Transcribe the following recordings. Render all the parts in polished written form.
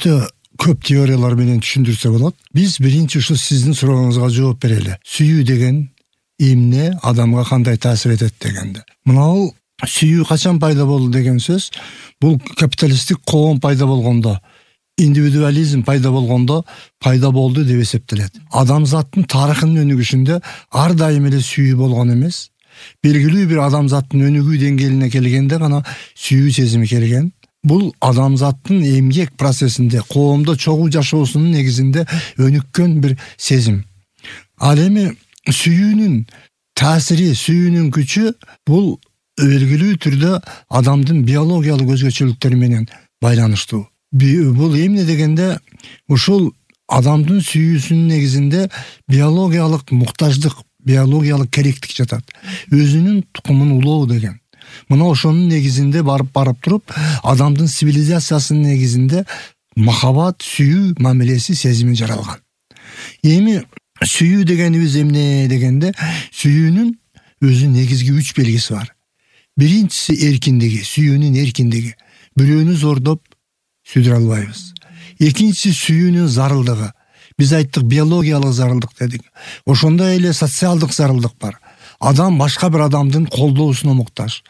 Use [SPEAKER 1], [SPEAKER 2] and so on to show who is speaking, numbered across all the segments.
[SPEAKER 1] өтө көп теориялар менен түшүндүрсө болот. Биз биринчи ушул сиздин сурооңузга жооп берели. Сүйүү деген эмне, адамга кандай таасир этет дегенде. Мынау сүйүү качан пайда болду деген сөз, бул капиталисттик коом пайда болгондо, индивидуализм пайда болгондо пайда болду деп эсептелет. Адамзаттын тарыхынын өнүгүшүндө ар дайым эле сүйүү болгон эмес. Белгилүү бир адамзаттын өнүгүү деңгээлине келгенде гана сүйүү сезими келген. Бул адамзаттын эмгек процессинде, коомдо чогуу жашоосунун негизинде өнүккөн бир сезим. Ал эми сүйүүнүн таасири, сүйүүнүн күчү бул белгилүү түрдө адамдын биологиялык өзгөчөлүктөрү менен байланыштуу. Бул эмне дегенде, ушул адамдын сүйүүсүнүн негизинде биологиялык муктаждык, биологиялык керектик жатат. Өзүнүн тукумун улоо деген. Мына ошонун негизинде барып туруп, адамдын цивилизациясынын негизинде махабат, сүйүү мамилеси, сезими жаралган. Эми сүйүү дегенибиз эмне дегенде, сүйүүнүн өзү негизги 3 белгиси бар. Биринчиси эркиндиги, сүйүүнүн эркиндиги. Бирөөнү зордоп сүйдүрө албайбыз. Экинчиси сүйүүнүн зарылдыгы. Биз айттык биологиялык зарылдык дедик. Ошондой эле социалдык зарылдык бар. Адам башка бир адамдын колдоосуна муктаж.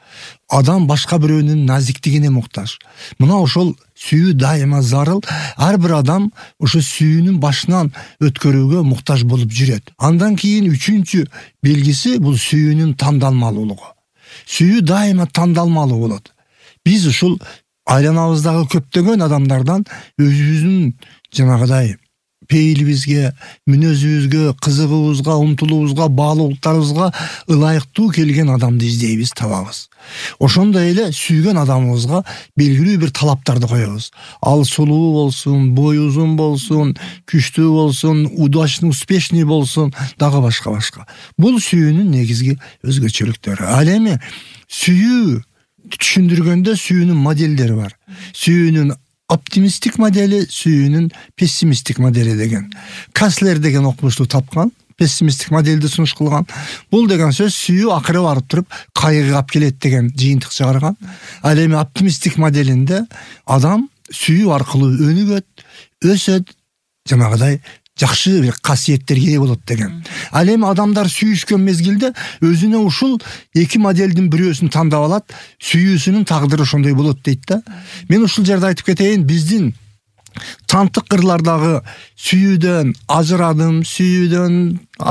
[SPEAKER 1] Адам башка бирөөнүн назиктигине муктаж. Мына ошол сүйүү дайыма зарыл. Ар бир адам ошо сүйүүнүн башынан өткөрүүгө муктаж болуп жүрөт. Андан кийин үчүнчү белгиси бул сүйүүнүн тандалмалуулугу. Сүйүү дайыма тандалмалуу болот. Биз ушул айланабыздагы көптөгөн адамдардан өзүбүздүн жанагыдай пейилибизге, мүнөзүбүзгө, кызыгуубузга, умтулуубузга, баалуулуктарыбызга ылайыктуу келген адамды издейбиз, табабыз. Ошондой эле сүйгөн адамыбызга белгилүү бир талаптарды коебуз. Ал сулуу болсун, бою узун болсун, күчтүү болсун, удачный, успешный болсун, дагы башка. Бул сүйүүнүн негизги өзгөчөлүктөрү. Ал эми сүйүү түшүндүргөндө сүйүүнүн модельдери бар. Сүйүүнүн оптимисттик модели, сүйүүнүн пессимисттик модели деген. Каслер деген окумушту тапкан, пессимисттик модельди сунуш кылган. Бул деген сөз сүйүү акыры барып туруп кайгыга алып келет деген жыйынтык чыгарган. Ал эми оптимисттик моделинде адам сүйүү аркылуу өнүгөт, өсөт, жанагыдай жакшы бир касиеттерге ээ болот деген. Ал эми адамдар сүйүшкөн мезгилде өзүнө ушул эки моделдин бирөөсүн тандап алат, сүйүүсүнүн тагдыры ошондой болот дейт да. Мен ушул жерде айтып кетейин, биздин тантык кырлардагы сүйүүдөн ажырадым, сүйүүдөн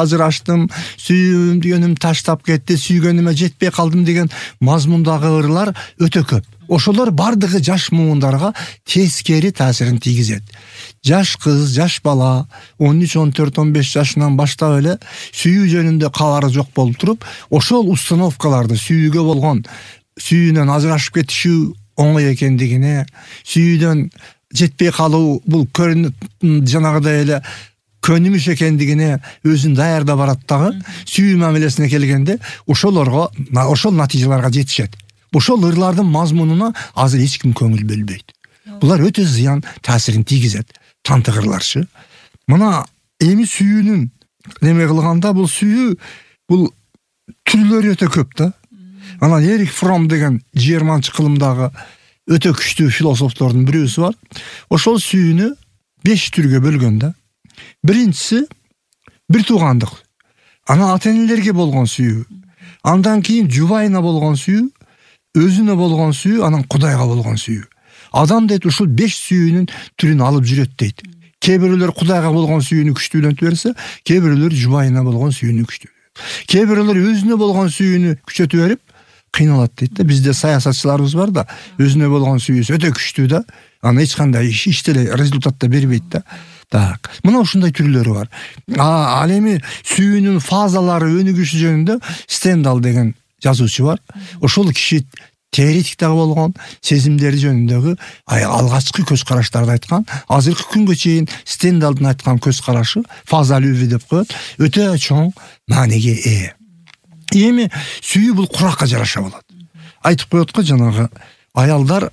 [SPEAKER 1] ажыраштым, сүйгөнүм таштап кетти, сүйгөнүмө жетпей калдым деген мазмундагы ырлар өтө көп. Ошолор бардыгы жаш муундарга тескери таасирин тийгизет. Жаш кыз, жаш бала 13, 14, 15 жашынан баштап эле сүйүү жөнүндө кабары жок болуп туруп, ошол установкаларды, сүйүүгө болгон, сүйүүнөн ажырашып кетишүү оңой экендигине, сүйүүдөн жетпей калуу бул жанагыдай эле көнүмүш экендигине өзүн даярдап барат дагы, сүйүү мамилесине келгенде ошол натыйжаларга жетишет. Ошол ырлардын мазмунуна азыр эч ким көңүл бөлбөйт. Булар өтө зыян таасирин тийгизет. Тантык ырларчы. Мына эми сүйүүнүн неме кылганда бул сүйүү бул түрлөрү өтө көп да. Анан Эрик Фром деген жерманчы кылымдагы өтө күчтүү философтордун бирөөсү бар. Ошол сүйүүнү 5 түргө бөлгөн да. Биринчиси бир туугандык. Анан ата-энелерге болгон сүйүү. Андан кийин жубайына болгон сүйүү, өзүнө болгон сүйүү, анан Кудайга болгон сүйүү. Адам дейт ушул 5 сүйүүнүн түрүн алып жүрөт дейт. Кээ бирөөлөр Кудайга болгон сүйүүнү күчтүүлөнтүп берсе, кээ бирөөлөр жубайына болгон сүйүүнү күчтүүлөнтүп. Кээ бирөөлөр өзүнө болгон сүйүүнү күчөтүп берип кыйналат дейт да. Бизде саясатчыларыбыз бар да, өзүнө болгон сүйүүсү өтө күчтүү да. Аны эч кандай иште эле результат да бербейт да. Так. Мына ушундай түрлөрү бар. Ал эми сүйүүнүн фазалары өнүгүшү жөнүндө Стендал деген жазуучу бар. Ошол киши теоретик дагы болгон, сезимдери жөнүндөгү алгачкы көз караштарды айткан. Азыркы күнгө чейин Стендалдын айткан көз карашы, фаза любви деп коет, өтө чоң мааниге ээ. Эми сүйүү бул куракка жараша болот. Айтып коет го жанагы аялдар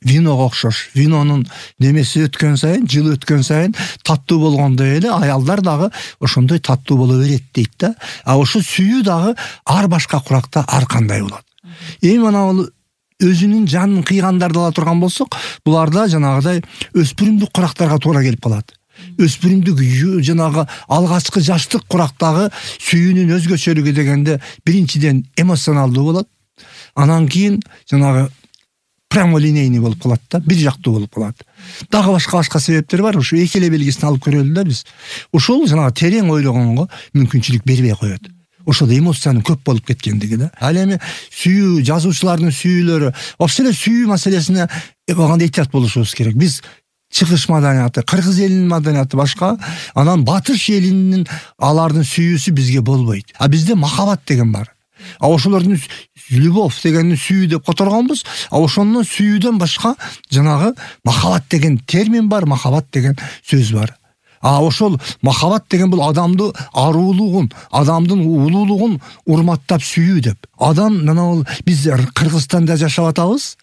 [SPEAKER 1] виного окшош. Винонун немеси өткөн сайын, жылы өткөн сайын таттуу болгондой эле аялдар дагы ошондой таттуу боло берет дейт да. А ошо сүйүү дагы ар башка куракта ар кандай болот. Эми ана өзүнүн жанын кыйгандарды ала турган болсок, буларда жанагыдай өспүрүмдүк курактарга туура келип калат. Өспүрүмдүк жанагы алгачкы жаштык курактагы сүйүүнүн өзгөчөлүгү дегенде биринчиден эмоционалдуу болот. Анан кийин жанагы прямолинейный болуп калат да, бир жактуу болуп калат. Дагы башка себептер бар. Ушу эки эле белгисин алып көрөлү да биз. Ошол жанагы терең ойлогонго мүмкүнчүлүк бербей коет. Ошол эмоциянын көп болуп кеткендиги да. Ал эми сүйүү, жазуучулардын сүйүүлөрү, вообще эле сүйүү маселесине баганда этият болушубуз керек. Биз чыгыш маданияты, кыргыз элинин маданияты башка, анан батыш элинин алардын сүйүүсү бизге болбойт. А бизде махаббат деген бар. А ошолордун любовь дегенди сүйүү деп которгонбуз. А ошондон сүйүүдөн башка жанагы махаббат деген термин бар, махаббат деген сөз бар. А ошол махаббат деген бул адамды аруулугун, адамдын улуулугун урматтап сүйүү деп. Адам мына биз Кыргызстанда жашап атабыз.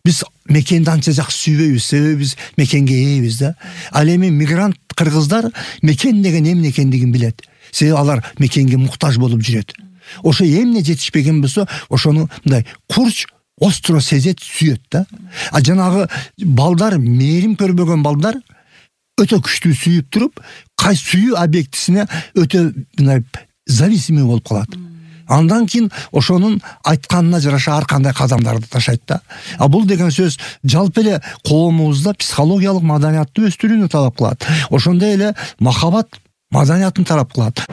[SPEAKER 1] Биз мекенди анча жакшы сүйбөйбүз, себеби биз мекенге ээбиз да. Ал эми мигрант кыргыздар мекен деген эмне экендигин билет. Себеби алар мекенге муктаж болуп жүрөт. Ошо эмне жетишпеген болсо, ошону мындай курч остро сезет, сүйөт да. А жанагы балдар, мээрим көрбөгөн балдар өтө күчтүү сүйүп туруп, кайсы сүйүү объектисине өтө мындай зависимый болуп калат. Андан кийин ошонун айтканына жараша ар кандай кадамдарды ташайт да. А бул деген сөз жалпы эле коомубузда психологиялык маданияттуу өстүрүүнү талап кылат. Ошондой эле махаббат маданиятын талап кылат.